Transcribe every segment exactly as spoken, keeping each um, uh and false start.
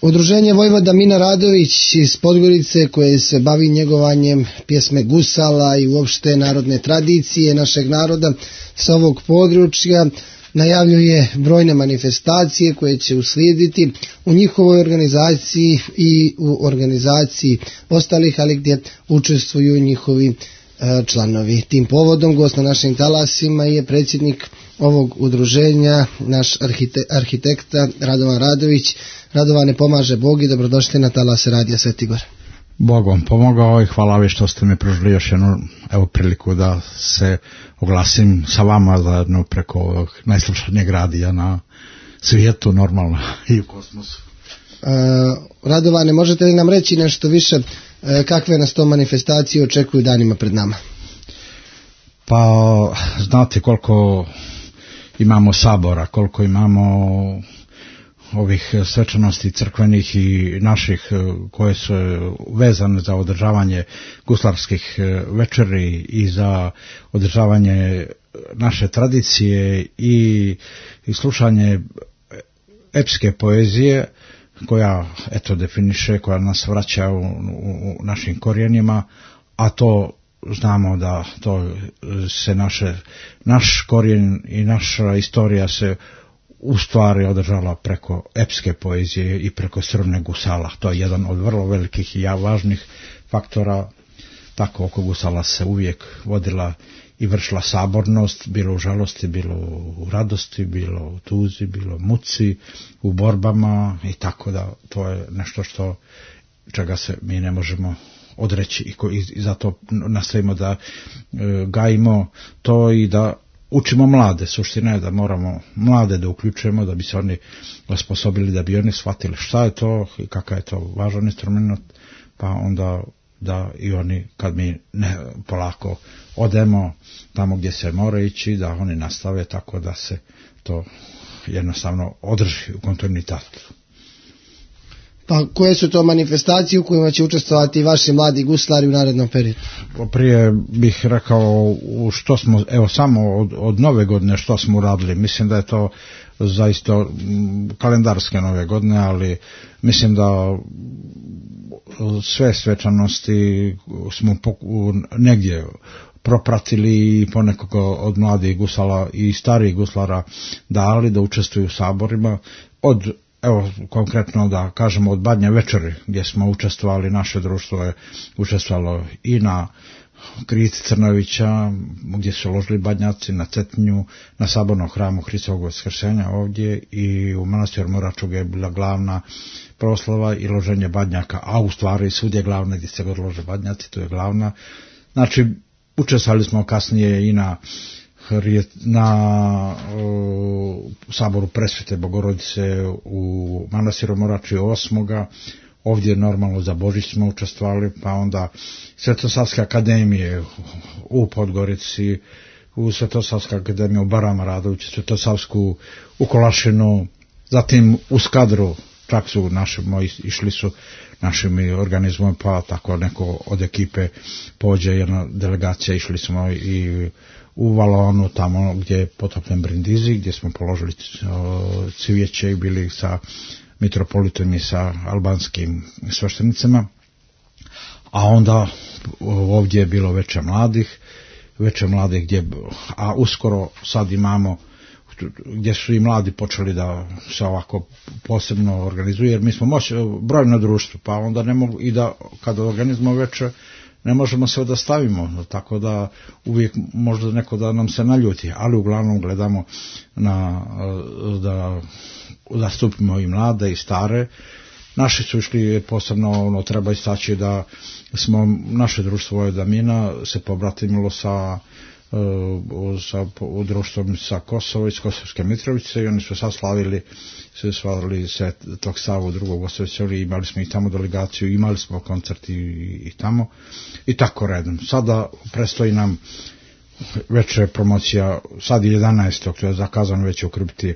Udruženje Vojvoda Mina Radović iz Podgorice, koje se bavi njegovanjem pjesme gusala i uopšte narodne tradicije našeg naroda sa ovog područja, najavljuje brojne manifestacije koje će uslijediti u njihovoj organizaciji i u organizaciji ostalih, ali gdje učestvuju njihovi članovi. Tim povodom gost na našim talasima je predsjednik ovog udruženja, naš arhite, arhitekta Radovan Radović. Radovane, pomaže Bog i dobrodošli na talase Radija Sveti Gor. Bog vam pomogao i hvala vi što ste mi pružili još jednu evo priliku da se oglasim sa vama zajedno preko ovog najslušanijeg radija na svijetu, normalno, i u kosmosu. E, Radovane, možete li nam reći nešto više e, kakve nas to manifestacije očekuju danima pred nama? Pa znate koliko imamo sabora, koliko imamo ovih svečanosti crkvenih i naših koje su vezane za održavanje guslarskih večeri i za održavanje naše tradicije i, i slušanje epske poezije koja eto definiše, koja nas vraća u, u, u našim korijenima, a to znamo da to se naše, naš korijen i naša istorija se u stvari održala preko epske poezije i preko srvne gusala. To je jedan od vrlo velikih i važnih faktora. Tako oko gusala se uvijek vodila i vršila sabornost, bilo u žalosti, bilo u radosti, bilo u tuzi, bilo u muci, u borbama i tako da to je nešto što čega se mi ne možemo odreći i, ko, i zato nastavimo da e, gajimo to i da učimo mlade. Suština je da moramo mlade da uključujemo, da bi se oni osposobili, da bi oni shvatili šta je to i kakav je to važan instrument, pa onda da i oni, kad mi ne polako odemo tamo gdje se mora ići, da oni nastave tako da se to jednostavno održi u kontinuitetu. Pa koje su to manifestacije u kojima će učestvovati vaši mladi guslari u narednom periodu? Prije bih rekao što smo, evo samo od, od nove godine što smo uradili. Mislim da je to zaista kalendarske nove godine, ali mislim da sve svečanosti smo negdje propratili i ponekoga od mladih gusala i starih guslara dali da učestvuju u saborima. Od Evo, konkretno da kažemo od Badnje večeri gdje smo učestvovali, naše društvo je učestvovalo i na Krijici Crnovića gdje su ložili badnjaci, na Cetinju, na sabornom hramu Hristovog Vaskrsenja ovdje i u manastiru Moraču gdje je bila glavna proslava i loženje badnjaka, a u stvari svud je glavna gdje se god lože badnjaci, to je glavna. Znači, učestvovali smo kasnije i na na uh, saboru Presvete Bogorodice u manastiru Morači osmoga Ovdje normalno za Božić smo učestvovali, pa onda Svetosavske akademije u Podgorici, u Svetosavske akademije u Barama Radoviću, Svetosavsku u Kolašinu, zatim u Skadru, čak su naši moji išli su našim organizmom, pa tako neko od ekipe pođe, jedna delegacija, išli smo i u Valonu, tamo gdje je potopljen Brindisi, gdje smo položili cvijeće i bili sa mitropolitom i sa albanskim sveštenicama. A onda ovdje je bilo veče mladih, veče mladih gdje, a uskoro sad imamo gdje su i mladi počeli da se ovako posebno organizuju, jer mi smo moć, brojno društvo, pa onda ne mogu i da kada organizujemo veče ne možemo sve da stavimo, tako da uvijek možda neko da nam se naljuti, ali uglavnom gledamo na, da, da stupimo i mlade i stare. Naši su išli posebno, ono, treba istaći da smo, naše društvo Vojvoda Mina se pobratimilo sa sa društvom sa Kosova, iz Kosovske Mitrovice, i oni su sad slavili su slavili se tog Savu drugog osvećali, imali smo i tamo delegaciju, imali smo koncert i, i tamo i tako redom. Sada prestoji nam večer promocija, sad je jedanaestog to je zakazano već u kripti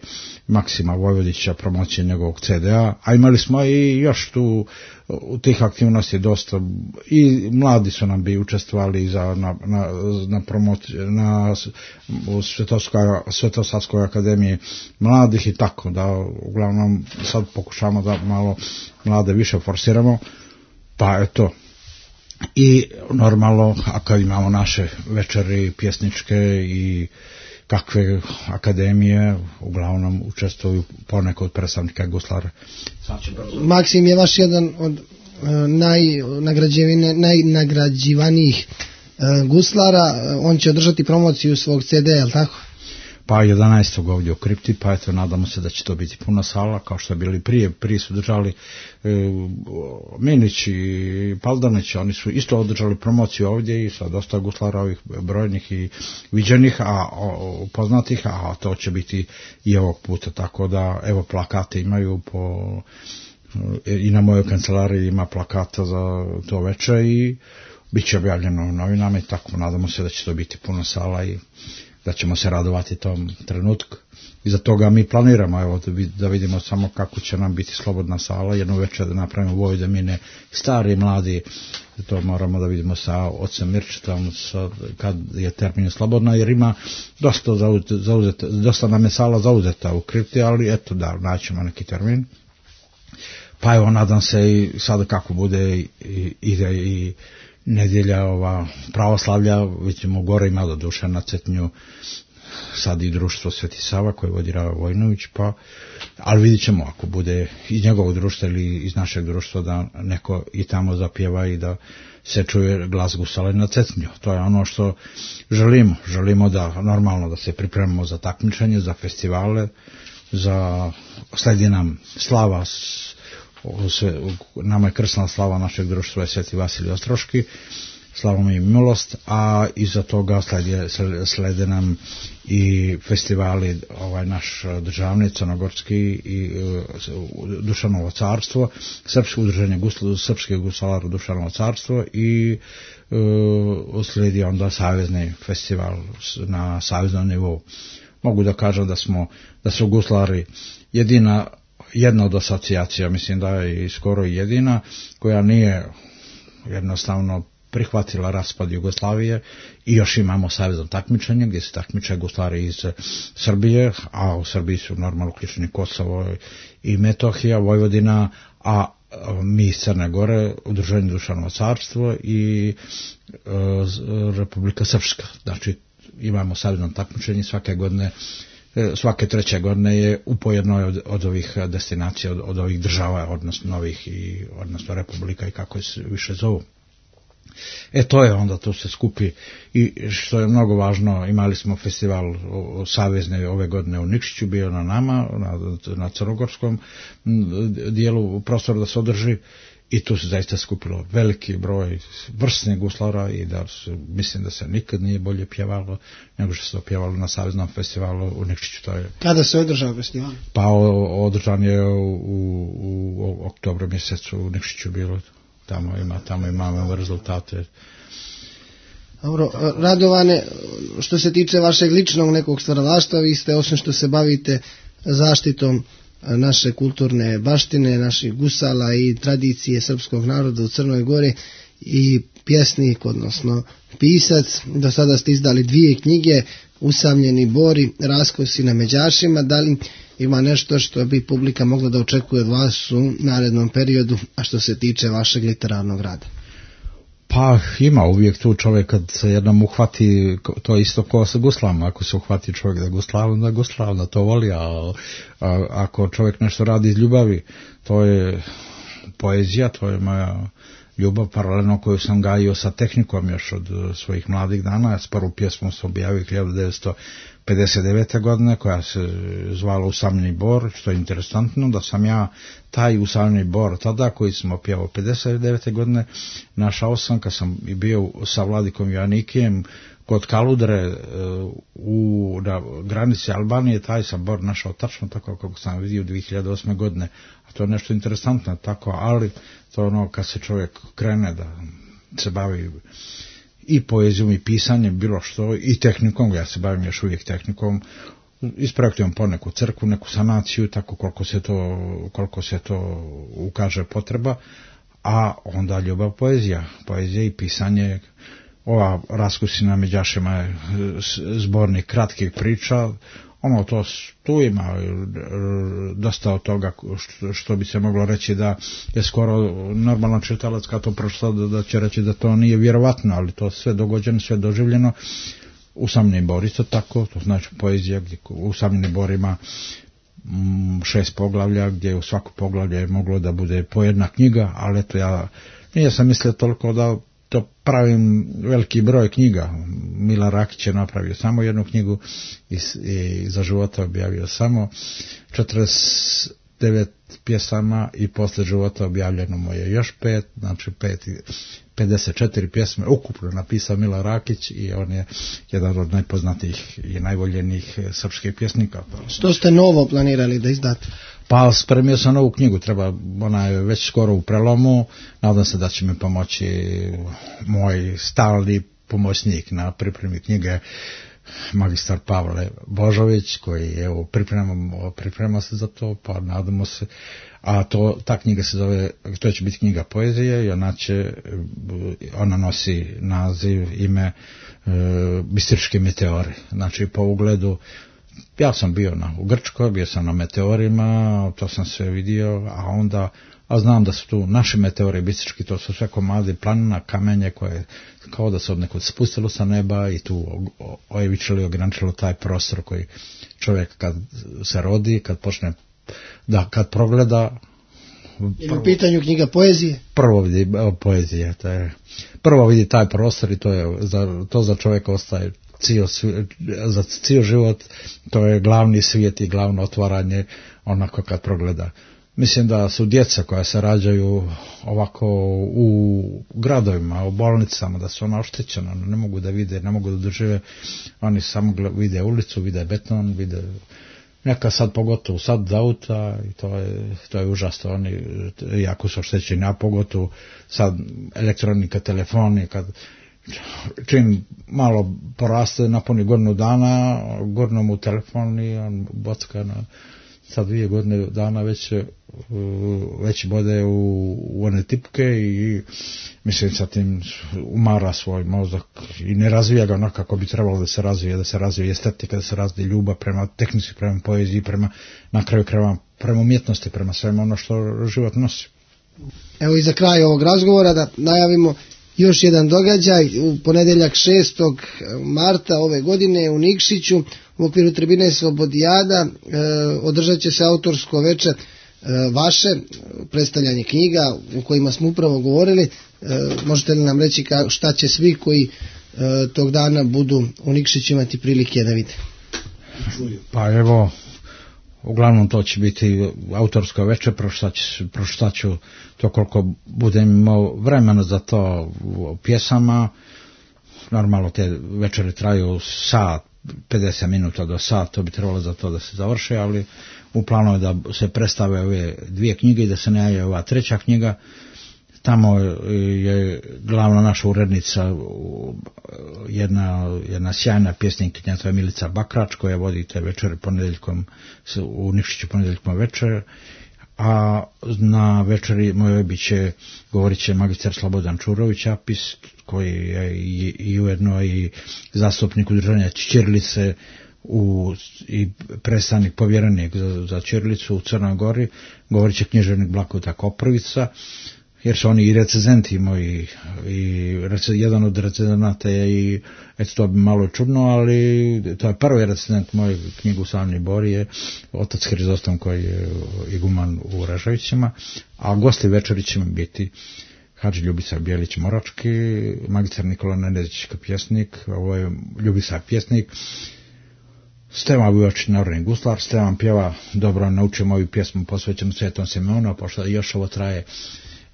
Maksima Vojvodića, promocije njegovog ce de a, a imali smo i još tu u tih aktivnosti dosta, i mladi su nam bi učestvovali za, na, na, na promociju, na Svetosavskoj akademiji mladih i tako, da uglavnom sad pokušamo da malo mlade više forsiramo, pa eto. I normalno, a kad imamo naše večeri pjesničke i kakve akademije, uglavnom učestvuju poneko od predstavnika guslara. Maksim je vaš jedan od najnagrađivanijih guslara, on će održati promociju svog ce de a, je li tako? Pa jedanaestog ovdje u kripti, pa eto nadamo se da će to biti puna sala, kao što je bili prije, prije su držali e, Minić i Paldanić, oni su isto održali promociju ovdje i sa dosta guslara ovih brojnih i viđenih, a o, poznatih, a to će biti i ovog puta, tako da evo plakate imaju po, i na mojoj kancelariji ima plakata za to večer i bit će objavljeno u novinama i tako, nadamo se da će to biti puna sala i da ćemo se radovati tom trenutku. I za toga mi planiramo, evo, da vidimo samo kako će nam biti slobodna sala, jednu večer da napravimo Voj da mine stari, mladi, to moramo da vidimo sa ocem Mirčitom, kad je termin slobodna, jer ima dosta, zauzeta, dosta nam je sala zauzeta u kripti, ali eto da, naćemo neki termin. Pa evo, nadam se i sad kako bude i, ide i nedjelja ova pravoslavlja, vidimo gore ima do duše na Cetnju sad i društvo Sveti Sava koje vodi Rava Vojnović, pa ali vidit ćemo ako bude iz njegovog društva ili iz našeg društva da neko i tamo zapjeva i da se čuje glas gusala na Cetnju. To je ono što želimo. Želimo da normalno da se pripremimo za takmičenje, za festivale, za sledi nam slava, sve, nama je krsna slava našeg društva je Sveti Vasilij Ostroški, slavom i milost, a iza toga slede, slede nam i festivali, ovaj naš državni, crnogorski i uh, Dušanovo carstvo, srpsko udruženje gusla, srpske gusalara Dušanovo carstvo i uh, sledi onda savezni festival na saveznom nivou. Mogu da kažem da smo, da su guslari jedina, jedna od asocijacija, mislim da je i skoro jedina, koja nije jednostavno prihvatila raspad Jugoslavije i još imamo savezno takmičenje gdje se takmiče guslari iz Srbije, a u Srbiji su normalno uključeni Kosovo i Metohija, Vojvodina, a mi iz Crne Gore, Udruženje Dušanovo carstvo i e, Republika Srpska. Znači imamo savezno takmičenje svake godine, svake treće godine je u pojednoj od, od ovih destinacija, od, od ovih država, odnosno novih i odnosno republika i kako se više zovu. E to je onda, to se skupi i što je mnogo važno, imali smo festival savezne ove godine u Nikšiću, bio na nama, na, na crnogorskom dijelu prostora da se održi i tu se zaista skupilo veliki broj vrsnih guslara i da su, mislim da se nikad nije bolje pjevalo nego što se pjevalo na saveznom festivalu u Nikšiću. To je... Kada se održao festival? Pa održan je u, u, u oktobru mjesecu u Nikšiću bilo. Tamo ima, tamo imamo rezultate. Dobro, Radovane, što se tiče vašeg ličnog nekog stvaralaštva, vi ste, osim što se bavite zaštitom naše kulturne baštine, naših gusala i tradicije srpskog naroda u Crnoj Gori, i pjesnik, odnosno pisac. Do sada ste izdali dvije knjige, Usamljeni bori, Raskosi na Međašima. Da li ima nešto što bi publika mogla da očekuje od vas u narednom periodu, a što se tiče vašeg literarnog rada? Pa ima uvijek tu čovjek kad se jednom uhvati, to je isto ko sa guslama, ako se uhvati čovjek da gusla, onda gusla, onda to voli, a, a ako čovjek nešto radi iz ljubavi, to je poezija, to je moja ljubav paralelno koju sam gajio sa tehnikom još od svojih mladih dana. S prvu pjesmu sam objavio hiljadu devetsto pedeset devete. godine koja se zvala Usamljeni bor, što je interesantno da sam ja taj Usamljeni bor tada koji sam opjevao pedeset devete. godine našao sam kad sam bio sa Vladikom Joanikijem kod Kaludre u na granici Albanije, taj sam bor našao tačno tako kako sam vidio dvije hiljade osme. godine, a to je nešto interesantno tako, ali to ono kad se čovjek krene da se bavi i poezijom i pisanjem, bilo što, i tehnikom, ja se bavim još uvijek tehnikom, isprojektujem po neku crkvu, neku sanaciju, tako koliko se to, koliko se to ukaže potreba, a onda ljubav poezija, poezija i pisanje. Ova Raskusina Međašima je zbornik kratkih priča, ono to tu ima dosta od toga što, što bi se moglo reći da je skoro normalan čitalac kad to pročita da će reći da to nije vjerovatno, ali to sve dogođeno, sve doživljeno. Usamljeni bor isto tako, to znači poezija gdje usamljeni bor ima šest poglavlja gdje u svaku poglavlje je moglo da bude po jedna knjiga, ali eto ja nije sam mislio toliko da to pravim veliki broj knjiga. Mila Rakić je napravio samo jednu knjigu i, i za života objavio samo četrdeset devet pjesama i posle života objavljeno mu je još pet, znači pet, pedeset četiri pjesme ukupno napisao Mila Rakić i on je jedan od najpoznatijih i najvoljenijih srpskih pjesnika. Što ste novo planirali da izdate? Pa spremio sam novu knjigu, treba, ona je već skoro u prelomu, nadam se da će mi pomoći moj stalni pomoćnik na pripremi knjige, magistar Pavle Božović, koji je pripremamo, priprema se za to, pa nadamo se, a to, ta knjiga se zove, to će biti knjiga poezije i ona će, ona nosi naziv, ime e, Bistrički meteori, znači po ugledu. Ja sam bio na, u Grčkoj, bio sam na meteorima, to sam sve vidio, a onda, a znam da su tu naši meteori bistrički, to su sve komadi planina, kamenje koje kao da se od nekog spustilo sa neba i tu ojevičili, ograničilo taj prostor koji čovjek kad se rodi, kad počne, da kad progleda. Ili u pitanju knjiga poezije? Prvo vidi poezije, to je, prvo vidi taj prostor i to je, za, to za čovjeka ostaje cijel, za cijel život, to je glavni svijet i glavno otvaranje onako kad progleda. Mislim da su djeca koja se rađaju ovako u gradovima, u bolnicama, da su ona oštećena, ne mogu da vide, ne mogu da dožive, oni samo vide ulicu, vide beton, vide neka sad pogotovo sad za auta i to je, to je užasno, oni jako su oštećeni, a pogotovo sad elektronika, telefoni, kad čim malo poraste, napuni godinu dana, gurnu mu telefon i on bocka na, sad dvije godine dana već, već bode u, u one tipke i mislim sa tim umara svoj mozak i ne razvija ga onako kako bi trebalo da se razvije, da se razvije estetika, da se razvije ljubav prema tehnici, prema poeziji, prema, na kraju krajeva prema umjetnosti, prema svemu ono što život nosi. Evo i za kraj ovog razgovora da najavimo još jedan događaj u ponedjeljak šestog marta ove godine u Nikšiću u okviru tribine Slobodijada e, održat će se autorsko veče e, vaše, predstavljanje knjiga u kojima smo upravo govorili. E, možete li nam reći ka, šta će svi koji e, tog dana budu u Nikšiću imati prilike da vide? Pa evo, uglavnom to će biti autorsko veče, pročitat ću to koliko budem imao vremena za to pjesama. Normalno te večere traju sat, pedeset minuta do sat, to bi trebalo za to da se završe, ali u planu je da se predstave ove dvije knjige i da se najavlja ova treća knjiga. Tamo je glavna naša urednica, jedna, jedna sjajna pjesnikinja, to je Milica Bakrač, koja vodi te večere ponedjeljkom, u Nikšiću ponedjeljkom večer, a na večeri mojoj bit će, govorit će magistar Slobodan Čurović Apis, koji je i, i ujedno i zastupnik udruženja ćirilice u, i predstavnik povjerenik za, za ćirilicu u Crnoj Gori, govorit će književnik Blakuta Koprivica, jer su oni i recenzenti moji, i rece, jedan od recenzenata je i, eto to bi malo čudno, ali to je prvi recenzent moju knjigu Slavni Bor je otac Hrizostom koji je iguman u Raževićima, a gosti večeri će biti Hadži Ljubica Bijelić Morački, magistar Nikola Nenezić pjesnik, ovo je Ljubica pjesnik, Stevan Vujović narodni guslar, Stevan pjeva dobro, naučio moju pjesmu posvećenu Svetom Simeonu, pošto još ovo traje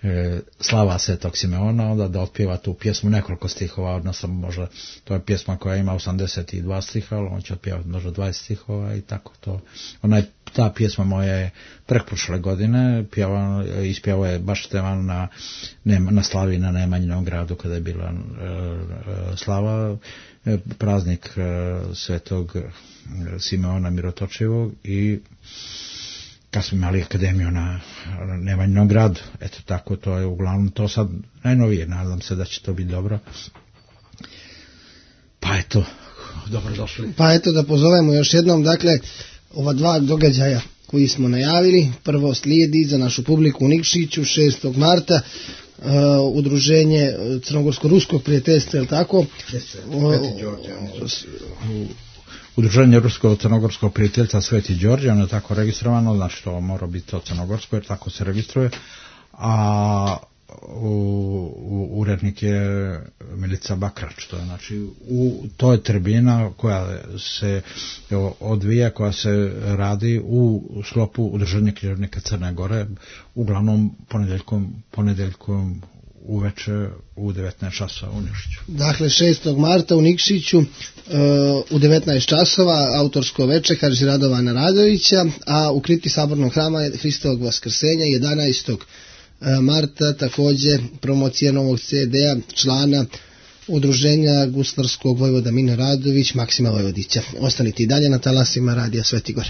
e, slava Svetog Simeona, onda da otpjeva tu pjesmu nekoliko stihova, odnosno možda to je pjesma koja ima osamdeset dva stiha, ali on će otpjevati možda dvadeset stihova i tako to. Ona ta pjesma moja je prekprošle godine, pjeva, ispjevao je baš Stevan na, na slavi na Nemanjinom gradu kada je bila e, e, slava, e, praznik e, Svetog Simeona Mirotočivog i kad smo imali akademiju na Nemanjinom gradu. Eto tako, to je uglavnom to sad najnovije, nadam se da će to biti dobro. Pa eto, dobro došli. Pa eto da pozovemo još jednom, dakle, ova dva događaja koji smo najavili, prvo slijedi za našu publiku u Nikšiću šestog marta, uh, udruženje Crnogorsko-ruskog prijateljstva, je li tako? Sveti Đorđe. Udruženje Rusko-Crnogorskog prijateljstva Sveti Đorđe, ono je tako registrovano, znači to mora biti to crnogorsko jer tako se registruje, a u, u, urednik je Milica Bakrač, to je, znači, u, to je tribina koja se evo, odvija, koja se radi u sklopu Udruženja književnika Crne Gore, uglavnom ponedeljkom, ponedeljkom uveče u devetnaest časova u Nikšiću. Dakle, šestog marta u Nikšiću uh, u devetnaest časova autorsko veče Hadži Radovana Radovića, a u kripti Sabornog hrama Hristovog Vaskrsenja jedanaestog marta također promocija novog ce de-a člana udruženja guslarskog vojvoda Mine Radović Maksima Vojvodića. Ostanite i dalje na talasima Radija Sveti Gor.